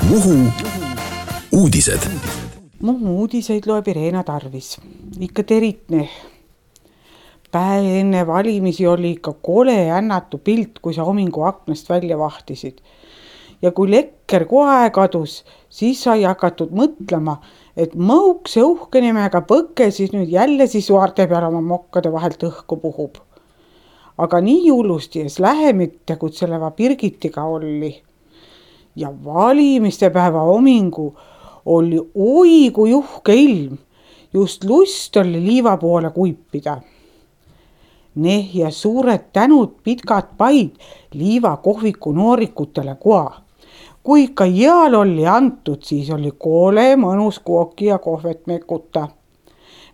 Muhu uudised. Muhu uudiseid loeb Irena Tarvis. Ikka teritne. Päev enne valimisi oli ikka kole ännatu pilt, kui sa homingu aknast välja vahtisid. Ja kui lekker kohe kadus, siis sai hakatud mõtlema, et mõukse uhke nimega Põkke siis nüüd jälle suarte peal oma mokkade vahelt õhku puhub. Aga nii hullusti ees lähemitte, kui sellega Birgitiga oli. Ja valimiste päeva homingu oli oi kui uhke ilm. Just lust oli liiva poole kuipida. Ja suured tänud pitkad paid liiva kohviku noorikutele koa. Kui ikka jääl oli antud, siis oli koole mõnus kooki ja kohvet mekuta.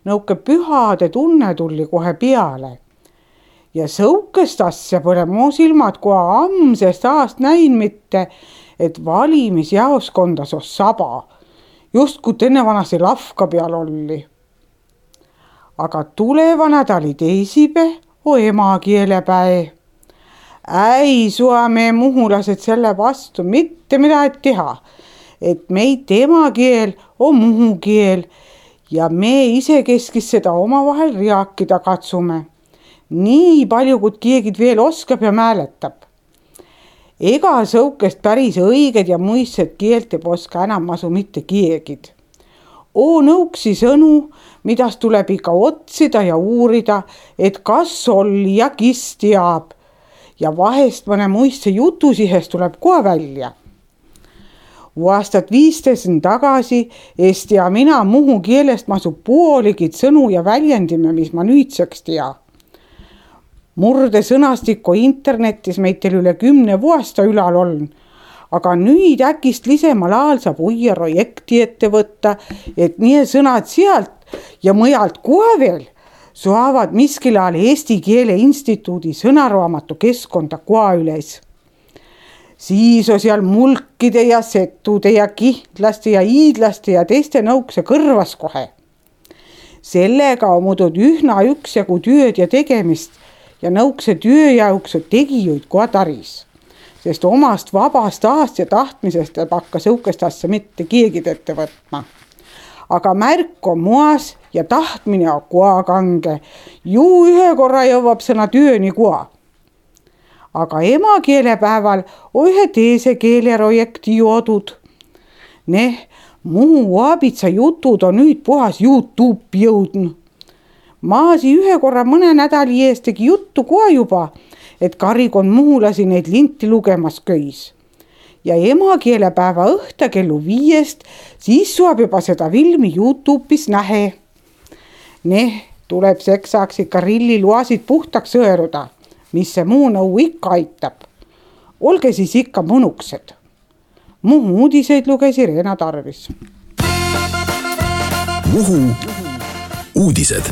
Nõuke pühade tunne tuli kohe peale. Ja sõukest asja pole mu silmad koha amsest aast näin mitte, et valimisjaoskonda sos saba, just kui enne vanasi lafka peal oli. Aga tuleva nädali teisipäev on emakeelepäev. Ei sua me muhulased selle vastu mitte midagi teha, et meid emakeel on muhu keel ja me isekeskis seda omavahel rääkida katsume. Nii palju, kui keegi veel oskab ja mäletab. Ega sõukest päris õiged ja muistsed keelt ei oska enam asu mitte keegid. Nõuksi sõnu, midas tuleb ikka otsida ja uurida, et kas oli ja kis teab. Ja vahest mõne muistse jutusihest tuleb kohe välja. Aastat 15 tagasi Eesti ja mina muhu keelest masu pooligid sõnu ja väljendime, mis ma nüüdseks tea. Murde sõnastikku internetis meid teil üle 10 vuosta ülal on, aga nüüd äkist lisemal ajal saab uue projekti ette võtta, et nii sõnad sealt ja mõjalt kohe veel saavad miskil ajal Eesti Keele Instituudi sõnaraamatu keskkonda koha üles. Siis on seal mulkide ja setude ja kihtlaste ja iidlaste ja teiste nõukse kõrvas kohe. Sellega on muudud ühna üksjagu tööd ja tegemist ja nõukse tööjauks tegijuid koha taris, sest omast vabast ahast ja tahtmisest ei hakka sõukest asja mitte keegi ette võtma. Aga märk on moas ja tahtmine on koha kange. Ju ühe korra jõuab sõna tööni koha. Aga emakeelepäeval on ühe teise keeleprojekti joodud. Muhu aabitsa jutud on nüüd puhas YouTube'i jõudnud. Maasi ühe korra mõne nädali eest tegi juttu koha juba, et karikond muhulasi neid linti lugemas köis. Ja emakeelepäeva õhta kellu 5, siis saab juba seda filmi YouTube'is nähe. Tuleb seksaks ikka rilliluasid puhtaks sõeruda, mis see muu nõu ikka aitab. Olge siis ikka mõnuksed. Muhu uudiseid luges Irena Tarvis. Muhu uudised.